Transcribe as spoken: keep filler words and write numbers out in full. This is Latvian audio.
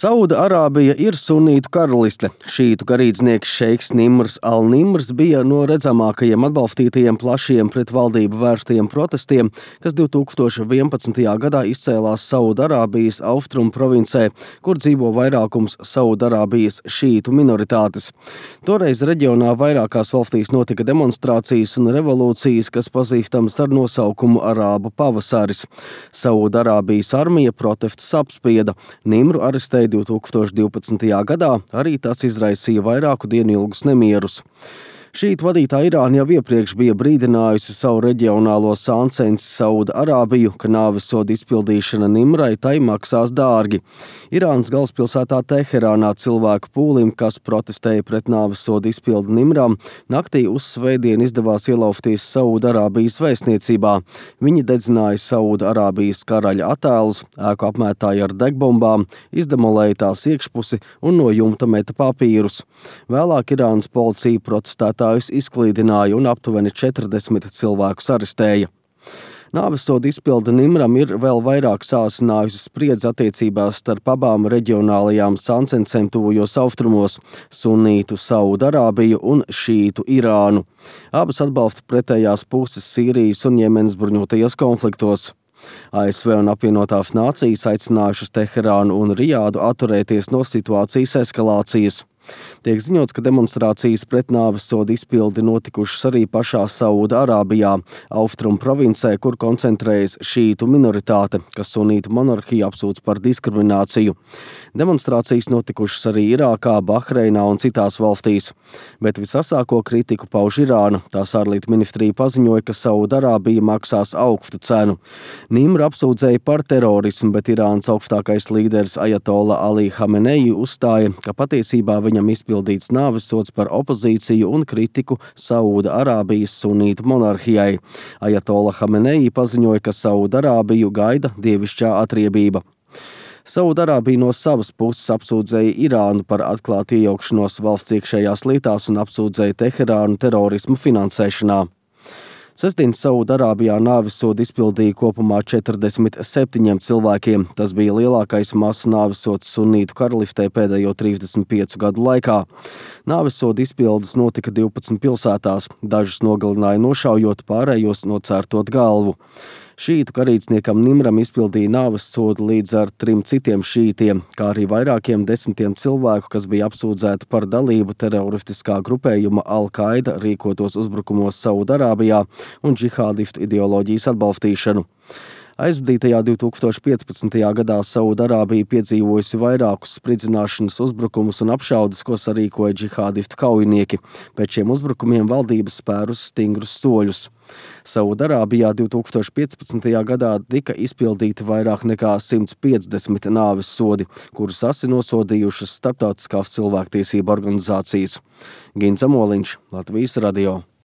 Sauda-Arābija ir sunītu karaliste. Šītu garīdznieks šeiks Nimrs al-Nimrs bija no redzamākajiem atbalstītajiem plašiem pret valdību vērstajiem protestiem, kas divi tūkstoši vienpadsmitajā gadā izcēlās Sauda-Arābijas austrumu provincē, kur dzīvo vairākums Sauda-Arābijas šītu minoritātes. Toreiz reģionā vairākās valstīs notika demonstrācijas un revolūcijas, kas pazīstams ar nosaukumu Arābu pavasaris. Sauda-Arābijas armija protestus apspieda. Nimru arestēja divi tūkstoši divpadsmitajā gadā, arī tas izraisīja vairāku dienu ilgus nemierus. Šītu vadītā Irāna jau iepriekš bija brīdinājusi savu reģionālo sāncensi Sauda-Arābiju, ka nāvessoda izpildīšana Nimrai tai maksās dārgi. Irānas galvaspilsētā Teherānā cilvēku pūlim, kas protestēja pret nāvessoda izpildi Nimram, naktī uz svētdienu izdevās ielaufties Sauda-Arābijas vēstniecībā. Viņi dedzināja Sauda-Arābijas karaļa attēlus, ēku apmētāja ar degbombām, izdemolēja tās iekšpusi un no jumta meta papīrus. Vēlāk Irānas policija protestētā izklīdināja un aptuveni četrdesmit cilvēkus arestēja. Nāvessoda izpilde Nimram ir vēl vairāk sāsinājusi spriedzi attiecībās starp abām reģionālajām sāncensēm tuvajos austrumos – sunītu Sauda-Arābiju un šītu Irānu. Abas atbalsta pretējās puses Sīrijas un Jemenas bruņotajos konfliktos. A S V un apvienotās nācijas aicinājušas Teherānu un Rijādu atturēties no situācijas eskalācijas. Tiek ziņots, ka demonstrācijas pret nāvessoda izpildi notikušas arī pašā Sauda-Arābijā, austrumu provincē, kur koncentrējas šītu minoritāte, kas sunītu monarhiju apsūdz par diskrimināciju. Demonstrācijas notikušas arī Irākā, Bahreinā un citās valstīs. Bet visasāko kritiku pauž Irāna. Tās ārlietu ministrija paziņoja, ka Sauda-Arābija maksās augstu cenu. Nimru apsūdzēja par terorismu, bet Irānas augstākais līderis Ajatola Ali Hameneji uzstāja, ka patiesībā viņam izpildīts nāvessods par opozīciju un kritiku Sauda-Arābijas sunītu monarhijai. Ajatola Hameneji paziņoja, ka Sauda-Arābiju gaida dievišķā atriebība. Sauda-Arābija no savas puses apsūdzēja Irānu par atklātu iejaukšanos valsts iekšējās lietās un apsūdzēja Teherānu terorismu finansēšanā. Sestdien Sauda-Arābijā nāvessodu izpildīja kopumā četrdesmit septiņiem cilvēkiem. Tas bija lielākais masu nāvessods sunītu karalistē pēdējo trīsdesmit piecu gadu laikā. Nāvessodu izpildes notika divpadsmit pilsētās. Dažus nogalināja nošaujot, pārējos nocērtot galvu. Šītu garīdzniekam Nimram izpildīja nāvessodu līdz ar trim citiem šītiem, kā arī vairākiem desmitiem cilvēku, kas bija apsūdzēti par dalību teroristiskā grupējuma Al-Qaida rīkotos uzbrukumos Sauda-Arābijā un džihādistu ideoloģijas atbalstīšanu. Aizvadītajā divi tūkstoši piecpadsmitajā gadā Sauda-Arābija piedzīvojusi vairākus spridzināšanas uzbrukumus un apšaudes, ko sarīkoja džihādistu kaujinieki. Pēc šiem uzbrukumiem valdības spērus stingrus soļus. Sauda-Arābijā divi tūkstoši piecpadsmitajā gadā tika izpildīti vairāk nekā simts piecdesmit nāvessodi, kurus asi nosodījušas starptautiskās cilvēktiesību organizācijas. Gins Zamoliņš, Latvijas radio.